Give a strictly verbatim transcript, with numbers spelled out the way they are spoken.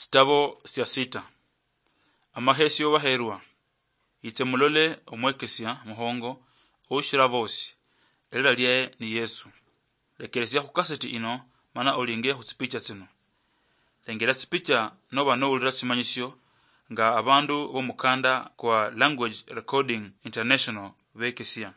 Sitabo sia sita. Amahesio baherwa. Itse mulole omwekesia muhongo oushira bosi, elira liaye ni Yesu. Lekeresia khu kaseti ino, mana olinge khu tsipicha tsino. Lengera tsipicha noba noulira simanyisio nga abandu bomukanda kwa Language Recording International bekesia.